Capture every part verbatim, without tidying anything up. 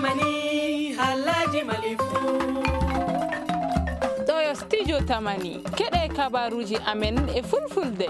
Mani, halaji Mali fu. Ɗo yo studio Tamani. Keɗe kabaruji amen e fulfulde.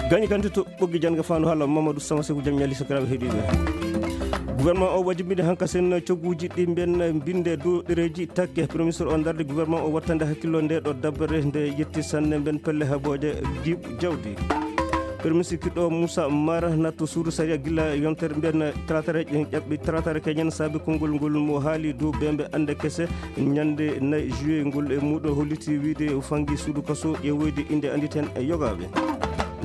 Gañi kanti to ɓoggi jannga faandu haala Mamadou Sama Seku, jam ñalli sakiraaɓe heɗiiɓe. Gouvernement o wajimbinde hanka sen cogguuji ɗi mben mbinde dow ɗereeji takke. Premier ministre o dardi gouvernement o wattande hakkillo nde ɗo dabbere nde yetti sanne mben pelle habooje jiiɓ jawdi. Premier ministre kiɗɗo Moussa Mara natto suudu sariya gila yontere mben talatare ƴaɓɓi talatare keñen saabi konngol ngol mo haali dow bembe ande kese ñande nayi juillet ngol e muɗo holliti wiide o fangi suudu kaso ƴeewoyde inde anditen e yogaaɓe.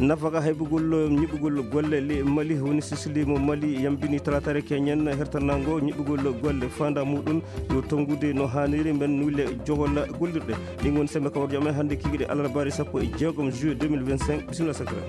Nafaka haybugol ñiɓugol golle le Mali woni sisili mo Mali yambini talatare keñen hertanango ñiɓugol golle fanda muɗum yo tongude no haniri mben nulle jogolla gollirɗe. Ɗin woni sembe kawarjo amen hannde kikiɗe alarbaari sappo e jeegom juillet deux mille vingt-cinq. Bisimilla sakira.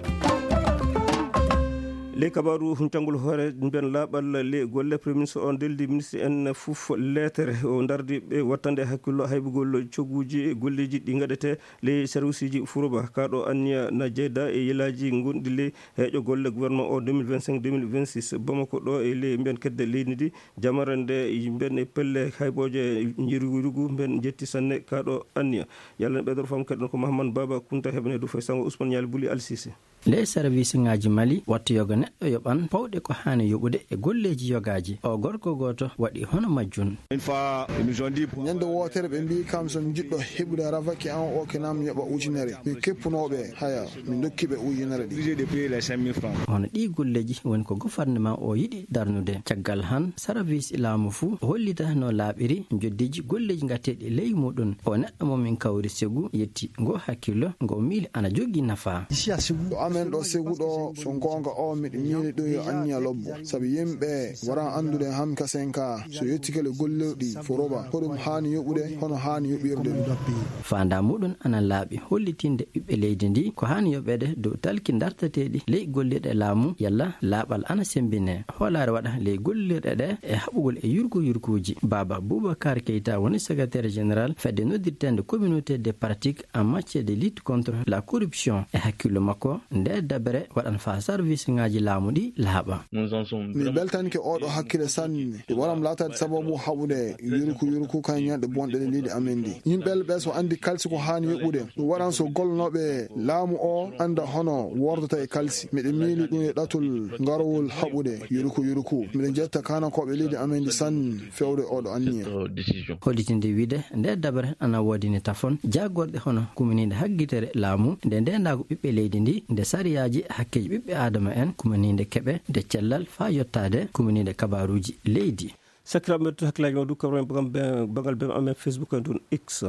Ley kabaru huncangol hoore mben laaɓal le golle, premier ministre on deldi ministre en fof leetere o dardi ɓe wattande hakkillo haybugol cogguuji golleeji ɗi gaɗete ley serviceji furoba. Kaɗo anniya na jeyda e yelaaji gonɗi ley heeƴo golle gouvernement o deux mille vingt-cinq deux mille vingt-six. Bamako ɗo e ley mben kedde leydi ndi jamara nde mben e pelle haybooje njirugu mben jetti sanne kaɗo anniya. Yalla en ɓeydoro fam keɗen ko Mahamman Baba Kunta heɓene du fay sango Ousmane Ñaali Buli Alsise. Nde service ngaji Mali watta yoga neɗɗo yoɓan pawɗe ko haani yoɓude e golleeji yogaaji. O gorko gooto waɗi hono majjun. Une fois, ils nous ont dit pour ñande wootere ɓe mbi kam so mi jiɗɗo heɓude ravaki an o kinam yoɓa ujunere. Min keppunooɓe haya, min dokki ɓe ujunere ɗi. Obligé de payer les cinq mille francs. Hono ɗi golleeji woni ko gouvernement o yiɗi darnude. Caggal han, service laamu fuu hollita no laaɓiri joddeeji golleeji ngatteeɗi ley muɗum. O neɗɗo mo min kawri Segu yetti ngo hakkillo, ngo miili ana jogii nafa. Ici à Ségou. Ɗo amen ɗo Segu ɗo, so goonga o, miɗo miili ɗum yo anniya lobbo. Sabi yimɓe wara anndude han kasen ka, so yettike le gollirɗi foroba, hoɗum haani yoɓude, hono haani yoɓirde ɗum. Faandaa muɗum ana laaɓi hollitinde ɓiɓɓe leydi ndi ko haani yoɓeede dow talki dartateeɗi ley gollirɗe laamu, yalla laaɓal ana semmbine. Hoolaare waɗa ley gollirɗe ɗe e haɓugol e yurku yurkuuji. Baaba Boubacar Keita woni secrétaire général fedde noddirteende communauté des pratiques en matière de lutte contre la corruption. E hakkillo makko, nde dabere waɗan faa service ngaji laamu ɗi laaɓa. Mi beltanike oɗo hakkille sanne. Ɗum waran laataade sababu haɓude yurku yurku kan ñande bonɗe ɗe leydi amen ndi. Yimɓe ɓe so anndi kalsi ko haani yoɓude. Ɗum waran so golnooɓe laamu o annda hono wordata e kalsi. Miɗo miili ɗum e ɗatul ngarowol haɓude yurku yurku. Miɗo jetta kaanakooɓe leydi amen ndi sanne fewde oɗo anniya. Hollitinde wiide nde dabere ana woodini tafon jaagorɗe hono kumaniinde haggitere laamu, nde ndeenaagu ɓiɓɓe leydi ndi, nde sariyaaji hakkeeji ɓiɓɓe aadama en, kumaniinde keɓe, nde cellal faa yottaade kumaniinde kabaaruuji leydi. Sakiraaɓe men, to hakkillaaji mon du, kabren bagal be, bagal be amen Facebook en ɗum X.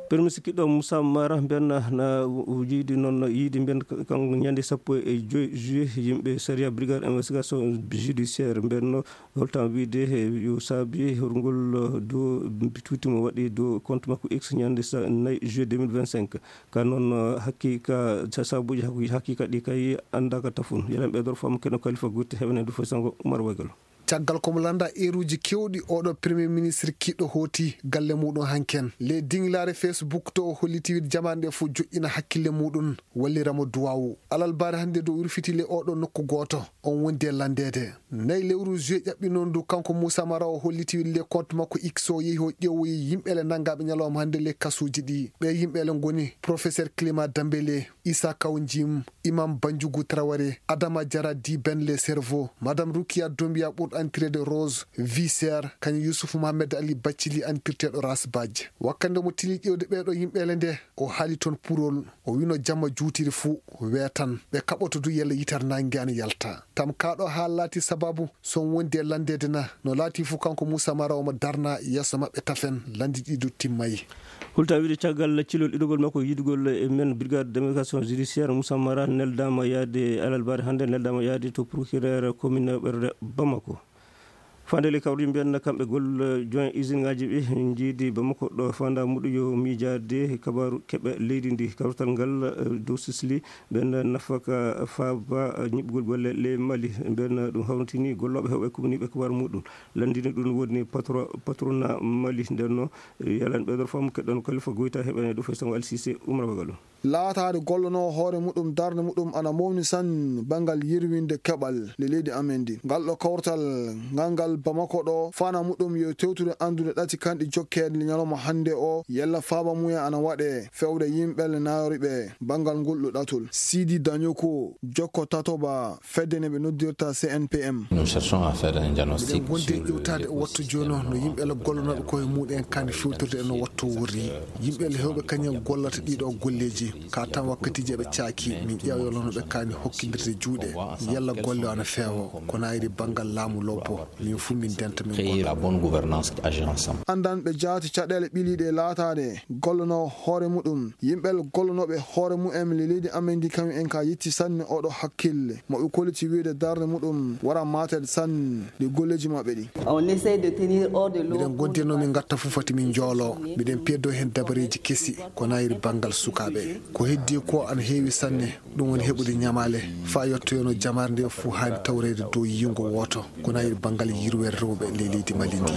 Premier ministre kiɗɗo Moussa Mara mbenna na jiidi noon yiidi mben kan ñande sappo e joy juillet yimɓe sariya brigade investigation judiciaire mbenno holtan wiide he yo saabi horngol do tuuti mo waɗi do compte makko X ñande nayi juillet deux mille vingt-cinq. Ka noon haqiqa sababuji haqiqa ɗi kay andaka tafun. Yelen ɓe dor fam keno Kalifa Gutti heɓene du fo sango Umar Wagalo. Caggal ko mo lannda eeruuji keewɗi, oɗo Premier Ministre kiiɗɗo hooti galle muuɗum hanki en. Ley diŋlaare Facebook to o holliti wiide jamaane ɗe fof joƴƴina hakkille muuɗum, wallira mo duwaawu. Alarbaare hannde dow o wirfiti ley oɗo nokku gooto, on wondi e lanndeede. Nayi lewru juillet ƴaɓɓi noon du, kanko Moussa Mara o holliti wiide ley compte makko X o yehi o ƴeewoyi yimɓeele nanngaaɓe ñalawma hannde ley kasuuji ɗi. Ɓee yimɓeele ngoni Professeur Clément Dembélé, Issa Kaw Jim, Imam Banjugu Traoré, Adama Diarra dit Ben le Cerveau, Madame Roukia Doumbia ɓurɗo anndireede Rose, Viser, kañum Youssouf Mohamed Ali Bathily anndirteeɗo Ras Badj. Wakkati nde mo tini ƴeewde ɓeeɗo yimɓeele nde, o haali toon purol, o wiino jamma juutiri fuu weetan, ɓe kaɓoto du yalla yitere naange ana yalta. Tam kaa ɗo haa laati sababu so on wondi e lanndeede na, no laati fuu kanko Moussa Mara omo darna yeeso maɓɓe tafen, lannde ɗi du timmay. Hulta wiide caggal cilol ɗiɗogol makko yiɗugol e men brigade de médiation judiciaire, Moussa Mara neldaama yaade alarbaare hannde, neldaama yaade to procureur commune ɓerde Bamako. Fandeli kawri mbiyan kamɓe gol joint usine ngaji ɓe njiidi Bamako ɗo fanda muɗu yo miijaade kabaaru keɓe leydi ndi. Kawrital ngal, eh, dow Sisli ɓen nafaka faaba, eh, ñiɓgol golle ley Mali. Ɓen ɗum hawritini gollooɓe heɓɓe kumniiɓe kabaaru muɗum. Lanndini ɗum woni patro-, patrona Mali. Nden no, eh, yalan ɓeydor fam keɗɗon Kalifa Goyta heɓene ɗo fay sango Alsise Umra Bagalo. Laataade gollonoowo hoore muɗum darnde muɗum ana mawni sanne banngal yirwinde keɓal le leydi amen ndi. Ngal ɗo kawtal ngal ngal Bamako ɗo fana muɗum yo tewtude anndude ɗati kanɗi jokkeede le ñalawma hannde o yalla faaba muya ana waɗe fewde yimɓe le naayori ɓe banngal ngol ɗo ɗatul. Sidi Dañoko jokko tatoba fedde ne ɓe noddirta C N P M. Nous cherchons à faire un diagnostic. Miɗen gondi e ƴewtaade e wattu jooni o no yimɓe le gollonooɓe koye muɗen kani fewtirde e no wattu wurri. Yimɓe le hewɓe kañum gollata ɗiɗo golleeji. Ka tan wakkatiiji eɓe caaki, min ƴeewa yo lono ɓe kaani hokkindirde juuɗe. Yalla golle o ana feewo, kono ayri banngal laamu lobbo, min fuu min denta min créer la bonne gollana. Gouvernance, agir ensemble. Anndanɓe jaati caɗeele ɓiliiɗe e laataade gollonoo hoore muɗum. Yimɓe gollonooɓe hoore mumen le leydi amen ndi kañum en ka yetti sanne oɗo hakkille. Mo ɓe kolliti wiide darnde muɗum wara maatel sanne ɗi golleeji maɓɓe ɗi. On essaie de tenir hors de l'eau. Miɗen gondi no min ngatta fuu fati min njoolo. Miɗen peddo heen dabareeji kesi ko nayri banngal sukaaɓe. Ko heddi ko ana heewi sanne, ɗum woni heɓude ñamaale. Faa yottoyono jamaare nde fuu haani tawreede dow yiingo wooto. Ko nayri banngal yirwere rewɓe ley leydi Mali ndi.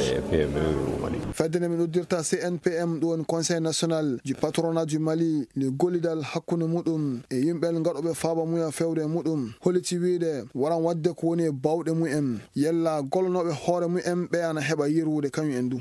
Fedde nde min uddirta C N P M, ɗum woni Conseil National du Patronat du Mali, le gollidal hakkunde muɗum e yimɓe ngaɗooɓe faaba muya fewre muɗum, holliti wiide waran waɗde ko woni e baawɗe mumen, yalla gollonooɓe hoore mumen ɓe ana heɓa yirwude kañum en du.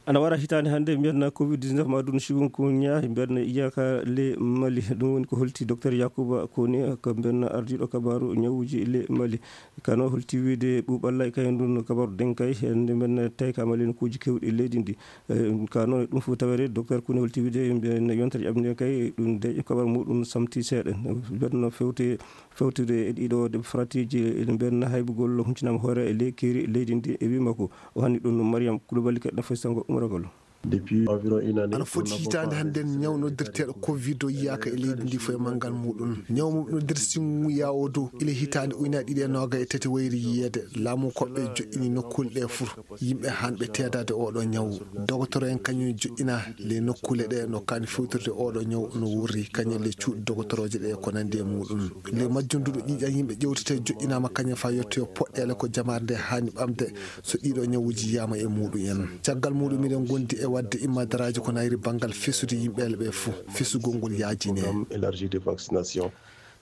Ana wara hitaande hannde, mbiyen covid dix-neuf ma ɗum chikungunya, mbiyen iyaka le Mali. Ɗum woni ko holti Docteur Yakuba Kone, ko mbiyen ardiiɗo kabaaru ñawuuji le Mali. Kano holti wiide ɓuuɓalla e kayen ɗum kabaaru denkay, hannde mbiyen tawi ka Mali nokkuuji keewɗi leydi ndi. Eh, kano ɗum fof tawere Docteur Kone holti wiide mbiyen yontere ƴaɓnde kay ɗum de kabaaru muɗum samti seeɗa. Mbiyen fewte fewtude e ɗiɗo de fratiiji ene mbiyen haybugol huncinaama hoore e ley keeri leydi ndi e wii makko. O hanni ɗum Mariam Koulibaly keɗɗo festango umragol. Depuis environ une année, ana foti hitaande hannde, ñaw noddirteeɗo covid o yiyaaka e leydi ndi fof e manngal muɗum. Ñaw mum noddirsingu yawo dow ile hitaande ujunaaji ɗiɗi e noogay e tati wayri yiyeede. Laamu koɓɓe joƴƴini nokkuule ɗe fur. Yimɓe hanɓe teedaade oɗo ñaw. Dogotoro en kañum joƴƴina le nokkuule ɗe no kaani fewtirde oɗo ñaw no wurri, kañum le cuuɗi dogotorooje ɗe ko nandi e muɗum. Le majjunduɗo ƴiiƴan yimɓe ƴewtete joƴƴinaama kañum faa yettoyo poɗɗeele ko jamaare nde haani ɓamde so ɗiɗo ñawuuji yiyaama e muɗum en. Caggal muɗum miɗen gondi e waɗde immadaraaji ko nayri banngal fesude yimɓeele ɓe fuu, fesugol ngol yaajine. Programme élargi de vaccination.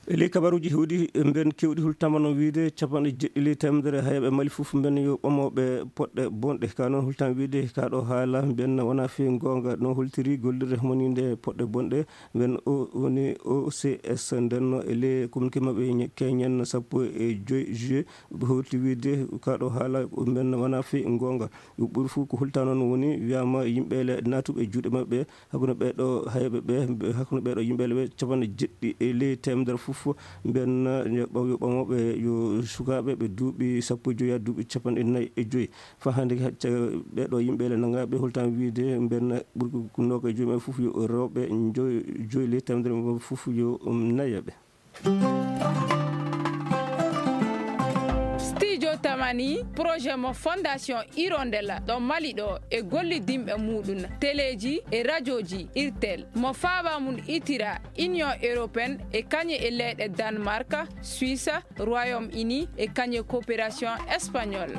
E ley kabaruuji hewɗi, mben kewɗi hultama no wiide capanɗe jeɗɗi ley teemedere hayɓe Mali fof mben yo ɓamoɓe poɗɗe bonɗe. Ka noon hultama wiide ka ɗo haala mben wona fii goonga no holtiri gollirde moninde poɗɗe bonɗe. Mben o woni O C S ndenno e ley communiqué maɓɓe ñe-, keñen sappo e joy juillet, ɓe holti wiide ka ɗo haala mben wona fii goonga. Ɓuri fof ko hulta noon woni wiyama yimɓe le naatuɓe juuɗe maɓɓe. Hakkunde ɓeeɗo hayɓe ɓe, hakkunde ɓeeɗo yimɓe le ɓe capanɗe jeɗɗi e ley teemedere fof, mbiyen yo ɓaw-, yo ɓamooɓe yo sukaaɓe ɓe duuɓi sappo e joy haa duuɓi capanɗe nayi e joy. Faa hannde hacca ɓeeɗo yimɓe le nanngaɓe hultama wiide mbiyen ɓuri ko noogaye e joy maɓɓe fof yo rewɓe, joy, joy ley teemedere maɓɓe fof yo, um, nayaɓe. Studio Tamani, projet mo Fondation Hirondelle ɗo Mali ɗo e gollidinɓe muɗum, teleeji e rajooji Irtel, mo faaba mum itira Union Européenne e kañe e leyɗe Danemark, Suisse, Royaume-Uni e kañe coopération espagnole.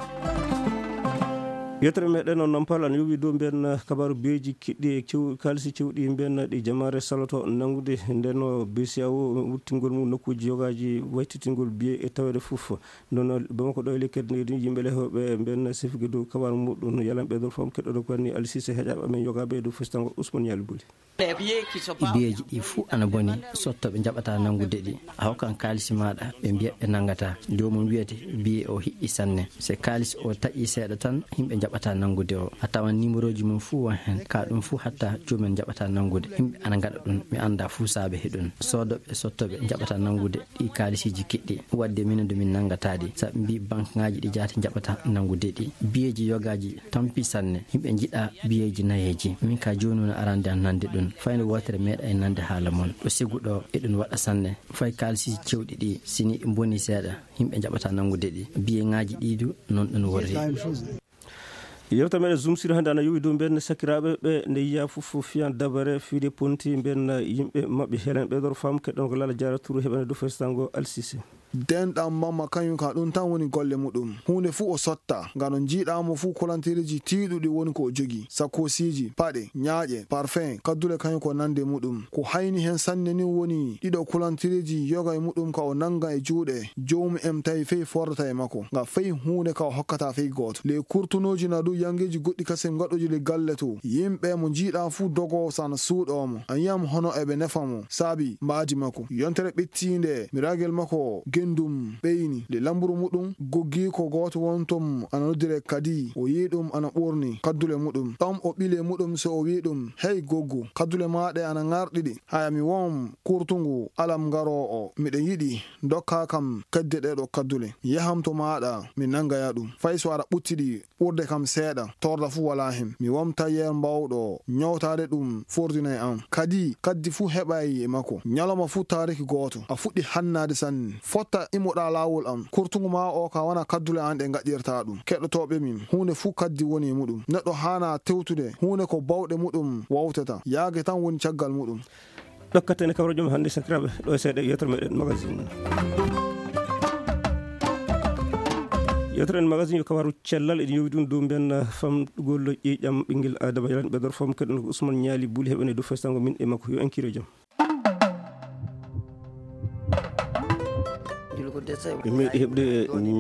Yettere meɗen on Nampal ana yowi dow mbiyen kabaaru biyeeji kiɗɗi e kew-, kaalisi cewɗi mbiyen ɗi jamaare saloto nanngude. Nden o B C E A O wuttingol mum nokkuuji yogaaji waytitingol biye e taweede fof. Nden o Bamako ɗo e lekkere nde ɗin yimɓe le hewɓe mbiyen sefige dow kabaaru muɗum yalanɓe dow fam keɗɗo dow ko woni Aliou Cissé heƴaaɓe amen yogaaɓe e dow festango Ousmane Yali Boli. Biyeeji ɗi fuu ana boni, sottoɓe njaɓata nanngude ɗi. A hokkan kaalisi maaɗa, ɓe mbiya ɓe nanngata. Joomum wiyete biye o hiɗɗi sanne. Se kaalisi o taƴi seeɗa tan, yimɓe njaɓata nanngude o. A tawan nimerooji mum fuu won heen. Ka ɗum fuu hatta joomum njaɓata nanngude. Yimɓe ana ngaɗa ɗum, mi annda fuu saabe heɗum. Soodoɓe, sottoɓe njaɓata nanngude ɗi kaalisiiji kiɗɗi. Wadde minen du min nanngata ɗi. Sabu mbi banque ŋaaji ɗi jaati njaɓata nanngude ɗi. Biyeeji yogaaji tampi sanne. Yimɓe njiɗa biyeeji nayeeji. Min ka jooni woni arande an nande ɗum. Fayde wootere meeɗa e nande haala mon. Ɗo sigu ɗo eɗum waɗa sanne. Fay kaalisiiji cewɗi ɗi, si ni boni seeɗa, yimɓe njaɓata nanngude ɗi. Biye ŋaaji ɗi du, noon ɗum worri. Yewta meɗen Zoom sur hannde ana yowi dow mbiyen sakiraaɓe ɓe nde yiya fof fiyan dabare fiide ponti mbiyen yimɓe maɓɓe. Helen ɓeydor fam keɗɗon ko Lala Jaara Turu heɓane dow festango Alsise. Denɗam mamma kañum ka ɗum tan woni golle muɗum. Huunde fuu o sotta, ngam no njiiɗaa mo fuu kolantereeji tiiɗuɗi woni ko o jogii, sakkoosiiji, paɗe, ñaaƴe, parfum, kaddule kañum ko nande muɗum. Ko hayni heen sanne ni woni ɗiɗo kolantereeji yoga e muɗum ka o nannga e juuɗe, joomum en tawi fey fordata e makko, nga fey huunde ka o hokkata fey gooto. Ley kurtunooji na du yangeeji goɗɗi kasen ngaɗooji ley galle to. Yimɓe mo njiiɗaa fuu dogoo sana suuɗoo mo. A yi'am hono eɓe nefa mo, saabi mbaadi makko. Yontere ɓettiinde, mi ragel makko gendum ɓeyni. Nde lamburu muɗum goggi ko gooto wontum ana noddire kadi. O yi'i ɗum ana ɓurni kaddule muɗum. Ɗom o ɓile muɗum so o wi'i ɗum, "Hey goggo, kaddule maa ɗe ana ŋarɗiɗi. Haya mi won kurtungu alam ngaroo o. Miɗa yiɗi dokkaa kam kedde ɗee ɗo kaddule. Yaham to maaɗa, mi nanngaya ɗum. Fay so aɗa ɓuttiɗi ɓurde kam seeɗa, torda fuu walaa heen. Mi won tayeer mbaawɗo ñawtaade ɗum fordinay am. Kadi, kaddi fuu heɓay e makko. Ñalawma fuu taariki gooto, a fuɗɗi hannaade sanne. Fotta imoɗaa laawol am. Kurtungu maa o ka wona kaddule an ɗe ngaɗirtaa ɗum. Keɗotooɓe min, huunde fuu kaddi woni e muɗum. Neɗɗo haanaa tewtude huunde ko bawɗe muɗum wawtata. Yaage tan woni caggal muɗum." Ɗokkata en kabaruuji men hannde, sakiraaɓe, ɗo e seeɗa yewtere meɗen magazine. Yewtere en magazine yo kabaru cellal, eɗen yowi ɗum dow mbiyen famɗugol ƴiiƴam ɓinngel Aadama. Yalan ɓe dor fom kaɗen ko Ousmane Ñaali Buli heɓen e dow festango min e makko. Yo en kiiro jam. Ɓe meeɗi heɓde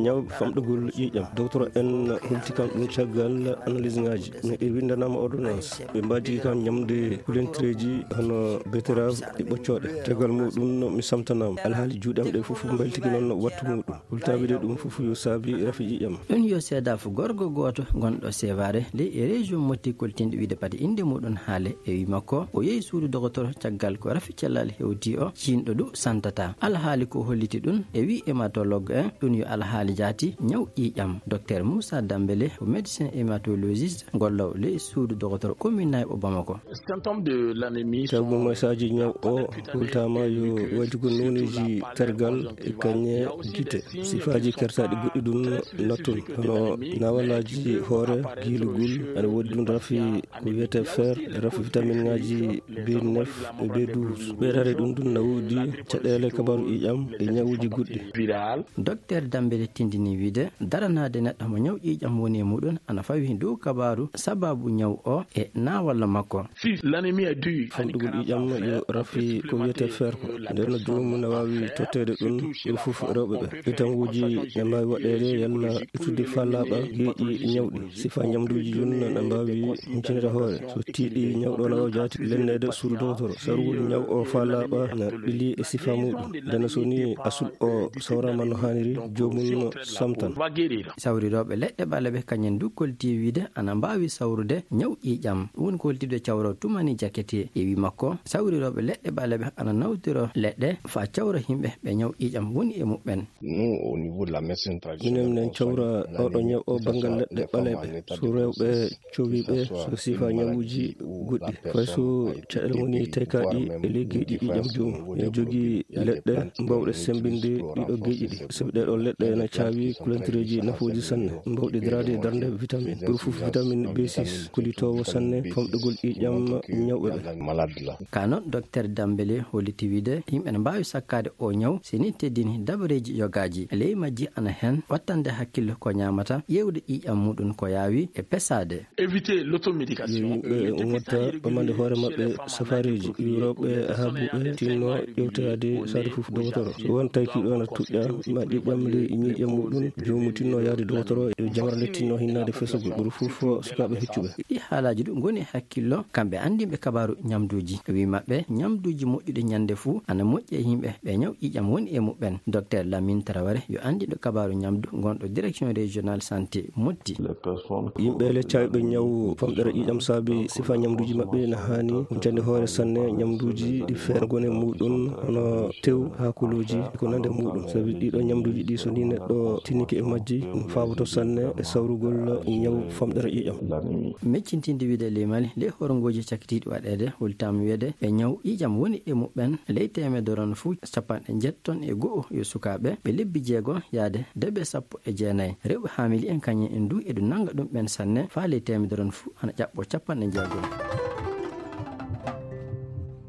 ñaw famɗugol ƴiiƴam. Docteur en holti kam ɗum caggal analyse ŋaaji. Ɓe winndanaama ordonnance. Ɓe mbaajii kam ñamde kulentereeji hono betterave e ɓoccooɗe. Caggal muɗum mi samtanaama. Alhaali juuɗe am ɗe fof mbayltiki noon wattu muɗum. Hultaaɓe ɗe ɗum fof yo saabi rafi ƴiiƴam. Ɗum yo seedaafu gorko gooto gonɗo Sevare ley e région Motti koltinɗo wiide pati innde muɗum haale e wi makko. O yehi suudu dogotoro caggal ko rafi cellal hewti o, ciinɗo du santata. Alhaali ko holliti ɗum e wi hématologue en, ɗum yo alhaali jaati ñaw ƴiiƴam. Docteur Moussa Dambélé ko médecin hématologiste gollowo ley suudu dogotoro commune Nayɓo Bamako. Tawi mo masaaji ñaw o hultaama yo waylitugol nooneeji tergal e kañe gite. Sifaaji kertaaɗi goɗɗi ɗum nattun, hono naawalaaji hoore, giilugol, aɗa woodi ɗum rafi ko wiyetee fer, rafi vitaminŋaaji B neuf e B douze. Ɓeydaade ɗum ɗum na woodi caɗeele kabaaru ƴiiƴam e ñawuuji goɗɗi. Docteur Dambélé tindini wiide, daranaade neɗɗo mo ñaw ƴiiƴam woni e muɗum ana fawi dow kabaaru sababu ñaw o e naawalla makko. Famɗugol ƴiiƴam yo rafi ko wiyetee fer ko. Nden no joomum na waawi totteede ɗum, ɗum fof rewɓe ɓe. Itanguuji ne mbaawi waɗeede yalla ittude fallaaɓa geeƴi ñawɗi. Sifa ñamduuji jun na mbaawi huncinde hoore. So tiiɗi ñawɗo na waawi jaati lenneede suudu dogotoro. Sarugol ñaw o fallaaɓa na ɓili e sifa muɗum. Nden so ni asul o sawraama no haaniri, joomum no samtan. Sawrirooɓe leɗɗe ɓaleeɓe kañen du kolti wiide ana mbaawi sawrude ñaw ƴiiƴam. Ɗum woni ko holtide cawro tumani jakete e wi makko. Sawrirooɓe leɗɗe ɓaleeɓe ana nawtiro leɗɗe faa cawra yimɓe ɓe ñaw ƴiiƴam woni e muɓɓen. Minen minen cawra oɗo ñaw o banngal leɗɗe ɓaleeɓe. So rewɓe cowiiɓe so sifa ñawuuji goɗɗi. Fay so caɗeele woni taykaaɗi e ley geeƴi ƴiiƴam joomum. Ene jogii leɗɗe mbawɗe semmbinde ɗiɗo geeƴi ɗi. Sabi ɗee ɗoo leɗɗe ene caawi kulantireeji nafooji sanne. Mbawɗi daraade e darnde vitamin. Ɓuri fof vitamin B six, kollitoowo sanne famɗugol ƴiiƴam ñawɓe ɓe. Ka noon, Docteur Dambélé holliti wiide yimɓe ne mbaawi sakkaade o ñaw, si ni teddini dabareeji yogaaji. Ley majji ana heen wattande hakkille ko ñaamata, ƴeewde ƴiiƴam muɗum ko yaawi e pesaade. Yo yimɓe ngotta ɓamande hoore maɓɓe safareeji. Yo rewɓe haabuɓe tinno ƴewtoyaade saare fof dogotoro. So won taykiiɗo na tuƴƴa ma ƴiiƴam ley ƴiiƴam muɗum, joomum tinno yaade dogotoro, yo jamra nde tinno hinnaade fesugol. Ɓuri fof sukaaɓe heccuɓe. Ɗi haalaaji ɗum ngoni hakkillo kamɓe anndinɓe kabaaru ñamduuji. Wi maɓɓe, ñamduuji moƴƴuɗi ñande fuu ana moƴƴi e yimɓe ɓe ñaw ƴiiƴam woni e muɓɓen. Docteur Lamine Traoré yo anndinɗo kabaaru ñamdu gonɗo direction régionale santé Motti. Yimɓe le caawiɓe ñaw famɗere ƴiiƴam saabi sifa ñamduuji maɓɓe na haani huncande hoore sanne ñamduuji ɗi feere ngoni e muɗum, hono tew, haakolooji e ko nande muɗum. Sabi ɗiɗo ñamduuji ɗi so ni neɗɗo tinike e majji, ɗum faaboto sanne e sawrugol ñaw famɗere ƴiiƴam. Meccintinde wiide ley Mali, ley horngooji cakitiiɗi waɗeede, holtaama wiide ɓe ñaw ƴiiƴam woni e muɓɓen ley teemedere on fuu capanɗe njeettoo e go'o yo sukaaɓe ɓe lebbi jeego yaade debe sappo e jeenayi. Rewɓe haamili en kañum en du eɗu nannga ɗum ɓen sanne, faa ley teemedere on fuu ana ƴaɓɓoo capanɗe jeegom.